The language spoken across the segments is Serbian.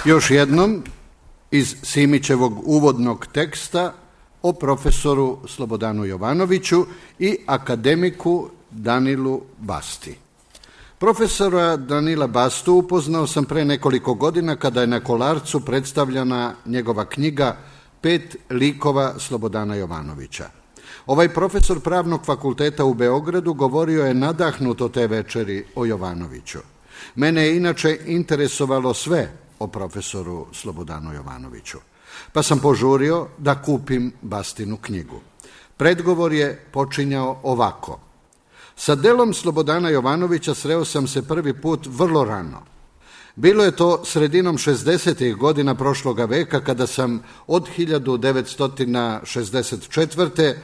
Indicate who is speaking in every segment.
Speaker 1: Još jednom iz Simićevog uvodnog teksta o profesoru Slobodanu Jovanoviću i akademiku Danilu Basti. Profesora Danila Bastu upoznao sam pre nekoliko godina kada je na Kolarcu predstavljena njegova knjiga 5 likova Slobodana Jovanovića. Ovaj profesor Pravnog fakulteta u Beogradu govorio je nadahnuto te večeri o Jovanoviću. Mene je inače interesovalo sve o profesoru Slobodanu Jovanoviću, pa sam požurio da kupim Bastinu knjigu. Predgovor je počinjao ovako. Sa delom Slobodana Jovanovića sreo sam se prvi put vrlo rano. Bilo je to sredinom 60. godina prošloga veka kada sam od 1964.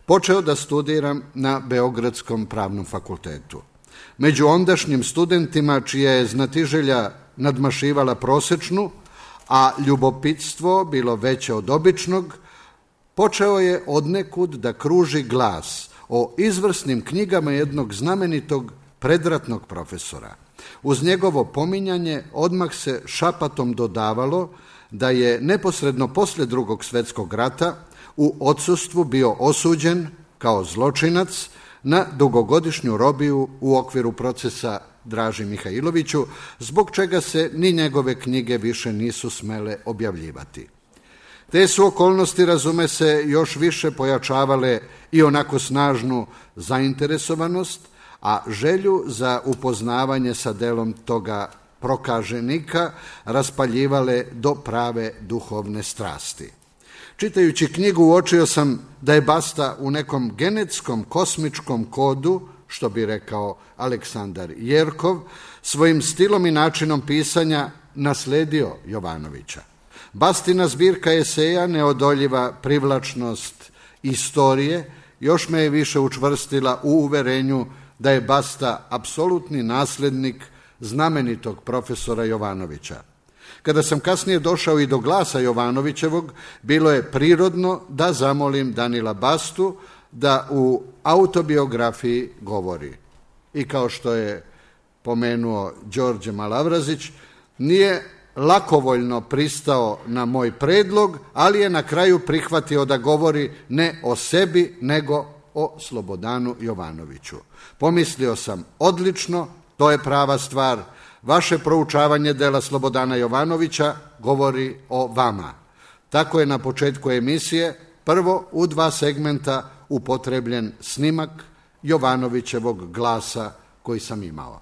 Speaker 1: počeo da studiram na Beogradskom pravnom fakultetu. Među ondašnjim studentima čija je znatiželja nadmašivala prosečnu, a ljubopitstvo bilo veće od običnog, počeo je odnekud da kruži glas o izvrsnim knjigama jednog znamenitog predratnog profesora. Uz njegovo pominjanje odmah se šapatom dodavalo da je neposredno posle Drugog svjetskog rata u odsustvu bio osuđen kao zločinac na dugogodišnju robiju u okviru procesa Draži Mihajloviću, zbog čega se ni njegove knjige više nisu smele objavljivati. Te su okolnosti, razume se, još više pojačavale i onako snažnu zainteresovanost, a želju za upoznavanje sa delom toga prokaženika raspaljivale do prave duhovne strasti. Čitajući knjigu uočio sam da je Basta u nekom genetskom kosmičkom kodu, što bi rekao Aleksandar Jerkov, svojim stilom i načinom pisanja nasledio Jovanovića. Bastina zbirka eseja Neodoljiva privlačnost istorije još me je više učvrstila u uverenju da je Basta apsolutni naslednik znamenitog profesora Jovanovića. Kada sam kasnije došao i do glasa Jovanovićevog, bilo je prirodno da zamolim Danila Bastu da u autobiografiji govori. I kao što je pomenuo Đorđe Malavrazić, nije lakovoljno pristao na moj predlog, ali je na kraju prihvatio da govori ne o sebi, nego o Slobodanu Jovanoviću. Pomislio sam, odlično, to je prava stvar. Vaše proučavanje dela Slobodana Jovanovića govori o vama. Tako je na početku emisije prvo u 2 segmenta upotrebljen snimak Jovanovićevog glasa koji sam imao.